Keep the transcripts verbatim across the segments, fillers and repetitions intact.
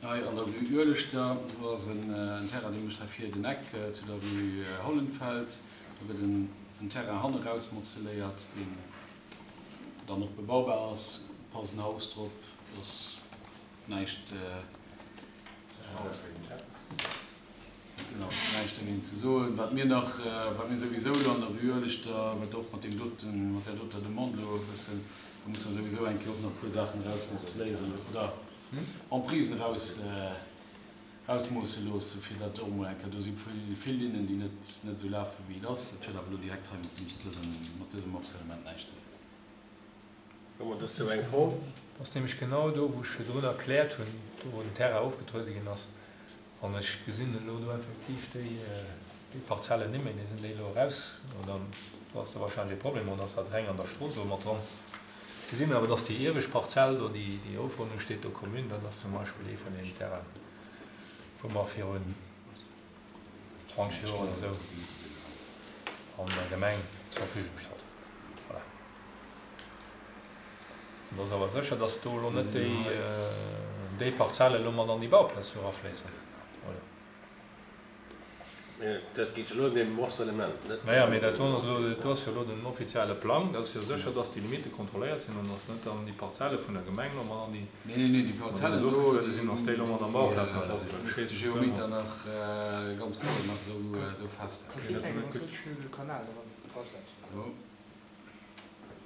Hei an der Rue Ueleschter, do ass en Terrain, dee mécht hei vir den Eck zu der Rue Hollenfels. Do gëtt en Terrain hanne raus morceléiert, deen dann och bebaubar ass. Passt en Haus drop, do ass näischt, genau, näischt dergéint ze soen. Wat mir nach, wat mir souwisou elo an der Rue Ueleschter, wat och mat deem doten, mat där doter Demande elo e bëssen, do musse mer souwisou eng Kéier och nach e puer Saachen erausmorceléieren oder Emprisen eraus, erausmoosse loosse fir dat och emol eng Kéier, do si vill Linnen, déi net, net esou lafen, wéi et ass. Dat huet awer elo direkt hei mat dësem, mat dësem Morcellement näischt ze dinn. Hu mer dozou eng Fro? Dat ass nämlech genau do, wou ech virdrun erkläert hunn, do wou den Terrain ofgetruede ginn ass. An ech gesinn elo do effektiv déi, déi Parzellen net méi. Déi sinn déi elo eraus, oder do ass da wahrscheinlech e Problem, oder ass dat reng an der Strooss elo mat dran? Gesinn awer, dass déi iewescht Parzell do, déi, déi Ofronnung steet do Commune, dat ass zum Beispill ee vun deenen Terrainen, wou mer virun zwanzeg Joer oder esou an der Gemeng zur Verfügung gestallt hunn. Voilà. Et ass awer sécher, dass do elo net déi, déi Parzelle elo mat an déi Bauplaz do erafléissen, oder? Mä dat geet jo elo ëm dee Morcellement, net? Naja, mee dat do ass elo, dat do ass jo elo den offizielle Plang. Dat ass jo sécher, dass déi Limitte kontrolléiert sinn an dass net dann déi Parzelle vun der Gemeng elo mat an déi, Nee, nee, nee, déi Parzellen do, ofgetruede sinn, dass déi elo mat am Bauplaz mat dra sinn. Well ech weess, dass do ëmmer. Geometer nach ganz kloer nach esou, esou festhalen. Kann just eng ganz schnell de Kanal erasetzen. Do.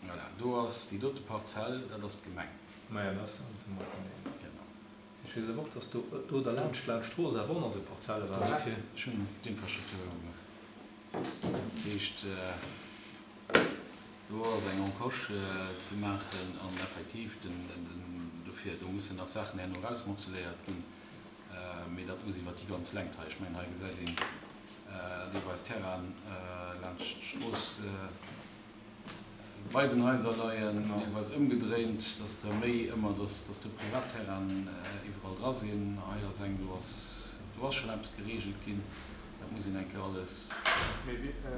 Voilà, do ass déi dote Parzell, dat ass d'Gemeng. Maja, dat ass dann zum Beispill deen. Genau. Ech weess awer och, dass do, do derlaanscht, laanscht d'Strooss awer och nach esou Parzelle waren. Dofir. Ech hunn d'Infrastruktur jo gemaach. Dat heescht, do ass eng Encoche ze maachen an effektiv, den, den, dofir, do mussen nach Saachen herno erausmorceléiert ginn, mee dat muss iwwert déi ganz Längt hei. Ech mengen, hei gesäit een deelweis Terrainen laanscht d'Strooss bei den Haiser leien, deelweis ëmgedréint, dass der méi ëmmer, dass dass do Privatterrainen iwwerall dra sinn. Hei ass eng, do ass do ass schonn eppes geregelt ginn. Dat muss een eng Kéier alles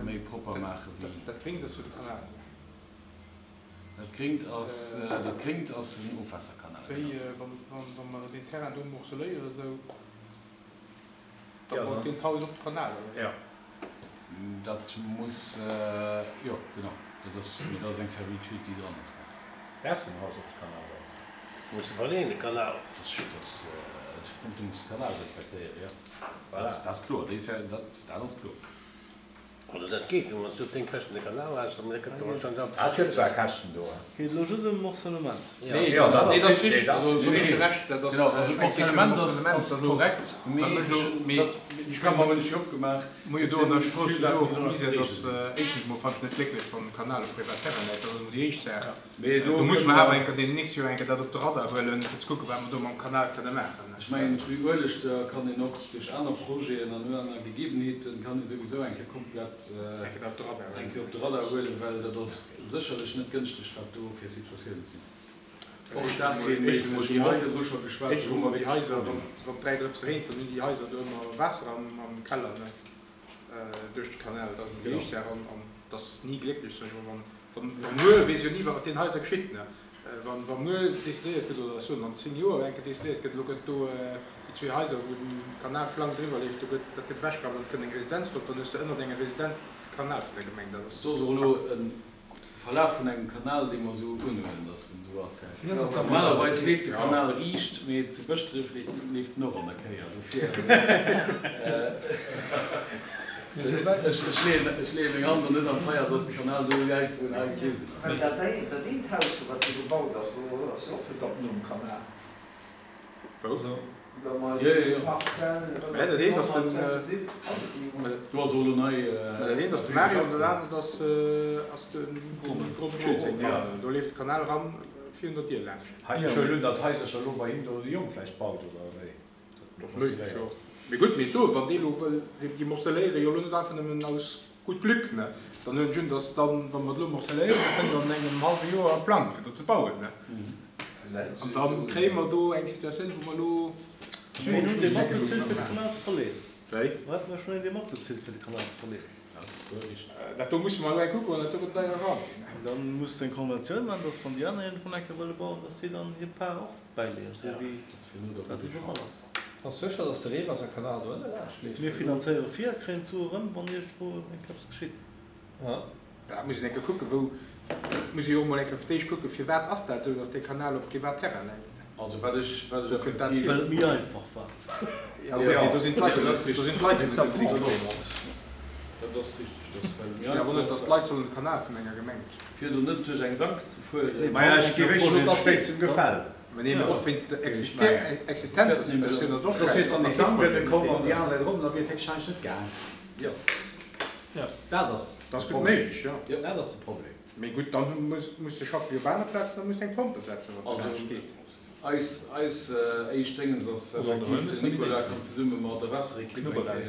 méi propper maache wéi. Dat Gréngt ass jo de Kanal. Dat Gréngt ass, dat Gréngt ass en Ofwaasserkanal, Wéi, genau. wa mer deen Terrain do morceléieren esou, da baut deen d'Haus op de Kanal, oder wéi? Jo. Dat muss, jo, genau, dat ass, mee dat ass eng Servitude, déi dran ass. Dass den Haus op de Kanal ass. Muss de verleeën, de Kanal. Dat ass, dat ass, du muss de Kanal respektéieren, jo. Voilà. Dat ass kloer, déi, dat, dat ass kloer. Also dat geet, wann s du op deng Käschten de Kanal has, da gëtt der wahrscheinlech Ah, et gëtt zwar Käschten do, hein. Geet elo just ëm Morcellement. Nee, Jo, dat Nee, ass dat ass richtig. Nee, richtig. dat ass Also do richtig. ginn ech dir Recht, dat ass Genau, also eng Kéier d'Morcellement ass, Morcellement, ass dat elo, korrekt, dat mee mécht elo, ech, mee dat, ech ech mengen, hunn ech jo opgemaach, Mir hu et do an der sinn Strooss vill jo Saachen, och déi sollen Misär, ze dass reegelen sinn. éischtens mol fannen ech net glécklech, wann de Kanal op privat Terrain läit, dat ass emol déi éischt Saach. Mee do Do musse kënne mer awer mer. eng Kéier deem nächst Joer eng Kéier dat op de Radar huelen, fir ze kucken, wat mer do mam Kanal kënne maachen. Ech mengen, d'Rue Ueleschter kann een och duerch aner Projeten an aner Gegebenheeten, kann ee souwisou eng Kéier komplett Eng Kéier dat op de Radar eng huelen. Kéier op de Radar huelen, well dat ass sécherlech net gënschteg, wat do fir Situatiounen sinn. Och Éischtens emol, éischtens emol stadfilmméisseg, déi hu mer Haiser, virdru scho geschwat, éischtens do hu emol mer déi wierklech Haiser, wann, Problemer. wann dräi Drëpse reent, dann hunn déi Haiser do ëmmer Waasser am, am Keller, ne, duerch de Kanal. Dat ass emol déi Genau. éischt Saach. An, an et ass ni glécklech, soen ech emol, wann, wann, wann muer, weess jo ni, wat mat deenen Haiser geschitt, ne. Wann, wa muer decidéiert gëtt, oder ech soen an zéng Joer eng Kéier decidéiert gëtt, elo gëtt do déi zwee Haiser, wou den Kanal flank driwwer leeft, do gëtt, dat gëtt ewechgerappt an et kënnt eng Residenz drop, dann hues de ënnert enger Residenz de Kanal vun der Gemeng. Dat ass Do ass och elo Kacke. e Verlaf vun engem Kanal, dee mer esou unhuelen, dass en esou ass. Wéi ass et da mat der. Normalerweis leeft de Kanal riicht, mee zu Bëschdref leeft en och an der Kéier. Dofir, ech leeë meng Hand do net an d'Feier, dass de Kanal esou wäit vun hei gewisen ass. Well dat dat eent Haus do, wat do gebaut ass, do ass jo och fir d'Ab nom Kanal. Wou? Wa mer Jo, jo, déi jo. Parzell, wat Mä ass dat dat, eent ass den. Nordhausen sinn, ass et déi Mä Do ass och elo nei dat eent ass de Verfügung Mario an geschaf dat ginn. anert ass, ass de Romain. Romain Schiltz seng Ja. Mamm. Do leeft de Kanal eran virun der Dier laanscht. Hei, ech huelen un, datt Haisercher elo bei him do de Jong vläicht baut, oder wéi? Dat ass méiglech, jo. Mee gutt, mee ech soen, wann dee elo wëll, déi morceléiere jo elo net einfach nëmmen aus gutt Glück, ne? Dann huelen ech un, datt dann, wa mer et elo morceléieren, da kënnt an engem hallwe Joer e Plang, fir do ze bauen, ne? An da kréie mer do eng Situatioun, wou mer elo Mir hunn dee matbezilt, fir de Kanal ze verleeën. Wéi? Do hätte mer schonn een, dee matbezilt, fir de Kanal ze verleeën. Dat do musse mer elo eng kucken, well dat do gëtt deier eran ginn. Dann muss de eng Konventioun maachen, dass wann déi aner iergendwann eng Kéier wëlle bauen, dass si dann hir Part och bäileeën, esou wéi dat iwwerall ass. Ass sécher, dass de Reewaasserkanal do ënne laanscht leeft? Mir finanzéiere vir a kréien d'Sue erëm, wann iergendwou eng Kéier eppes geschitt. Ja. Da muss een eng Kéier kucken, wou, muss ee jo och mol eng Kéier fir d'éischt kucken, firwat ass dat esou, dass dee Kanal op Privatterrain läit. Also wat ech, wat ech Wou kënnt dat effektiv. hier? Well et méi einfach war. Ja, okay, do sinn d'Leit jo net, do sinn d'Leit jo net am Konflikt. Dat ass richteg, dass well et méi Ech sinn erwonnert, einfach dass war. d'Leit sollen de Kanal vun enger Gemeng. Fir do net duerch eng Sank ze fueren. Maja, ech géif éischter den Spéit zum Gefäll. Mä nee, mä och wéinst der Existenz der Situatioun ass och Dass wiers an déi schäiss. Sank komm an déi aner Säit erop, da wier et héchstwahrscheinlech net gaang. Jo. Dat ass Dat ass de gutt Problem. méiglech, jo. Dat ass de Problem. Mee gutt, dann muss muss de schaffen jo op aner Plazen, da muss de eng Pompel setzen, wann dat Also anescht geet. eis, eis éischt Déngens ass Oder an der effektiv, Hënn den Nicolas kann zesumme mat der Waasserekipp eng Kéier de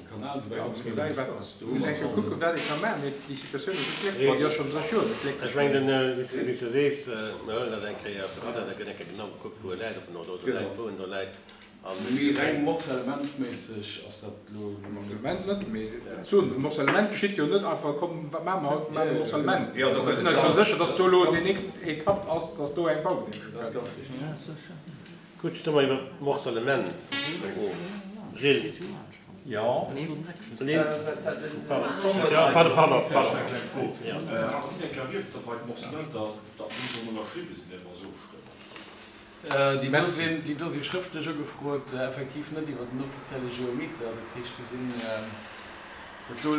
Kanal esou wäit opspillen. Wat, du muss eng Kéier kucken, wat ee ka maachen, mee déi Situatioun ass net glécklech. Bon, déi ass schonn dräi Joer net glécklech. Ech mengen, wéi s de sees, mir huelen dat eng Kéier op de Radar, da gëtt eng Kéier genau gekuckt, wou e läit, ob en no do läit, wou en do läit. Mee reng morcellementsméisseg ass dat elo net. Morcellement net, mee soen, e Morcellement geschitt jo net einfach, komm, wat maache mer haut, mir maachen e Morcellement. Jo, do Da gëtt sinn et eis jo ganz. sécher, dass do elo déi nächst Etapp ass, dass do eng Baugenehmegung Dat ass kënnt. ganz richteg. Gutt, stëmme mer iwwer d'Morcellement of. Gilles? Jo. Lynn? Ja, pardon, pardon, pardon. Eng kleng Fro. Ja. Hat net eng Kéier rieds, datt bei de Morcellementer, datt déi sollen ënnerschriwwe sinn, ier mer se ofstëmmen? Déi do sinn, déi do si schrëftlech ugefrot, effektiv net iwwer den offizielle Geometer. Dat heescht, déi sinn, dat do,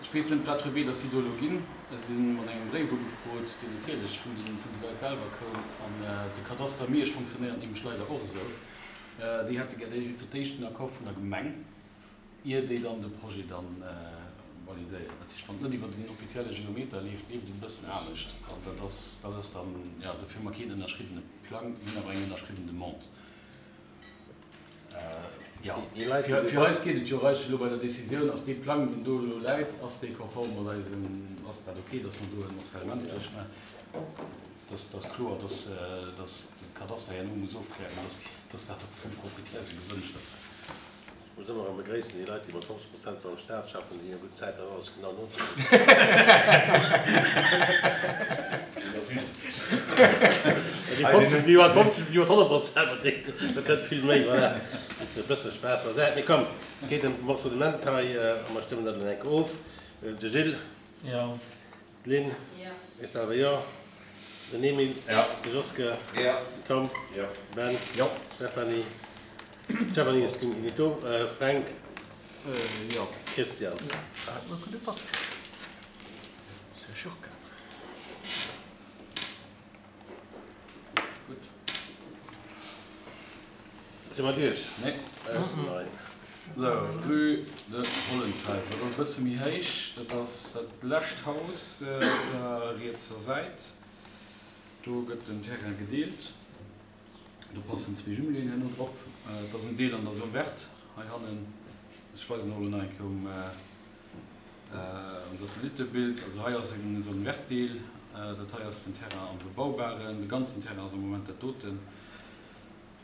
ech weess net, wat fir Wee datt si do elo ginn. Se si mat engem Bréif ugefrot, deen natierlech vun de, vun de Leit selwer koum. An de Kadaster Miersch fonctionnéiert nämlech leider och esou. Déi hätte gär fir d'éischt den Accord vun der Gemeng, ier déi dann de Projet dann validéieren. Dat heescht, wann et net iwwer den offizielle Geometer leeft, leeft et e bëssen anescht. An dat ass, dat ass dann, jo, dofir hu mer keen ënnerschriwwene Plang, mir hunn awer eng ënnerschriwwen Demande. Jo, Déi Leit, fir, déi fir eis geet et jo eigentlech elo bei der Decisioun, ass dee Plang, deen do elo läit, ass dee konform mat eisem, ass dat ok, dass mer do en Morcellement duerchmaachen? Dass, dass kloer, dass, dass de Kadaster herno muss ofklären, dass, dass dat och vum Proprietär esou gewënscht ass. Ech muss ëmmer erëm begréissen déi Leit, déi mat fofzeg Prozent beim Staat schaffen, déi hu gutt Zäit, dat alles genau nozekucken. Déi fofzeg, déi mat fofzeg, déi mat honnert Prozent, mat deenen, da kënnt vill méi, voilà. Dat ass e bësse Spaass beisäit. Mee komm, et geet ëm d'Morcellement hei a mer stëmmen dat elo enk of. De Gilles? Jo. D'Lynn? Jo. Ech selwer jo. Den Emile? Jo. De Joske? Jo. Den Tom? Jo. Ben? Jo. Stéphanie? Stéphanie ass nicht do. Fränk? Jo. Christian? Gutt. Si mer duerch? Nee. Nein. Sou, Rue de Hollenfels. Dat ass e bësse méi héich. Dat ass dat lescht Haus op der rietser Säit. Do gëtt den Terrain gedeelt. Do passen zwee Jumeléen herno drop. Et ass en Deel an der Zone verte hei hannen. Ech weisen och elo nach eng Kéier um um Satellittebild. Also hei ass en Zone verte Deel. Dat hei ass den Terrain am Bebaubaren. De ganzen Terrain ass am Moment dat doten.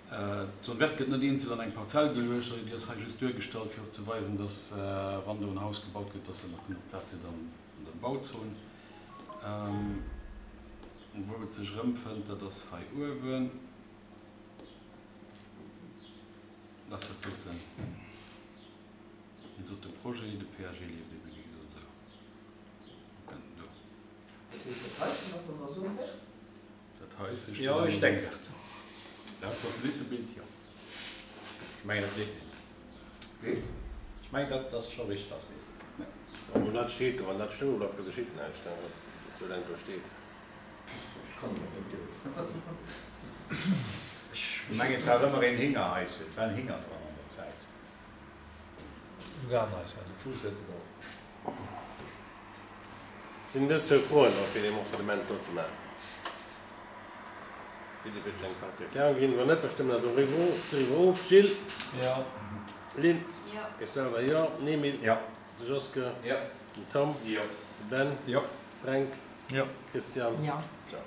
D'Zone verte gëtt net eenzel an eng Parzell geluecht, déi ass hei just duergestallt, fir och ze weisen, dass wann do en Haus gebaut gëtt, dass se nach genuch Plaz huet an der Bauzon. Wou et sech erëmfënnt, dat ass hei uewen. Dat ass dat doten, deen dote Projet, de P A G leeft ebe wéi gesot esou. Kënnt en do. Dat heescht, dat Haischen ass an der Zone verte? Dat Haischen steet Jo, an der ech Zone denken. verte. Laut Satellittebild, jo. Ech mengen, dat leeft net. Wéi? Ech mengen, dat ass scho richteg, was sees. Obwuel dat steet do, wann dat stoe bleift, da geschitt näischt, soulaang do steet. Ech kann et net gleewen. Ech mengen, et war ëmmer een Hingerhaischen, et war en Hinger dran an der Zäit. Souguer en Haischen. De Fuuss huet et och. Sinn dozou Froen, och fir dee Morcellement do ze maachen? Philippe huet eng Partie Erklärung ginn. Wann net, da stëmme mer doriwwer of. Gilles? Jo. Lynn? Jo. Ech selwer jo. Den Emile? Jo. De Joske? Jo. Den Tom? Jo. De Ben? Jo. Fränk? Jo. Christian? Jo. Jo.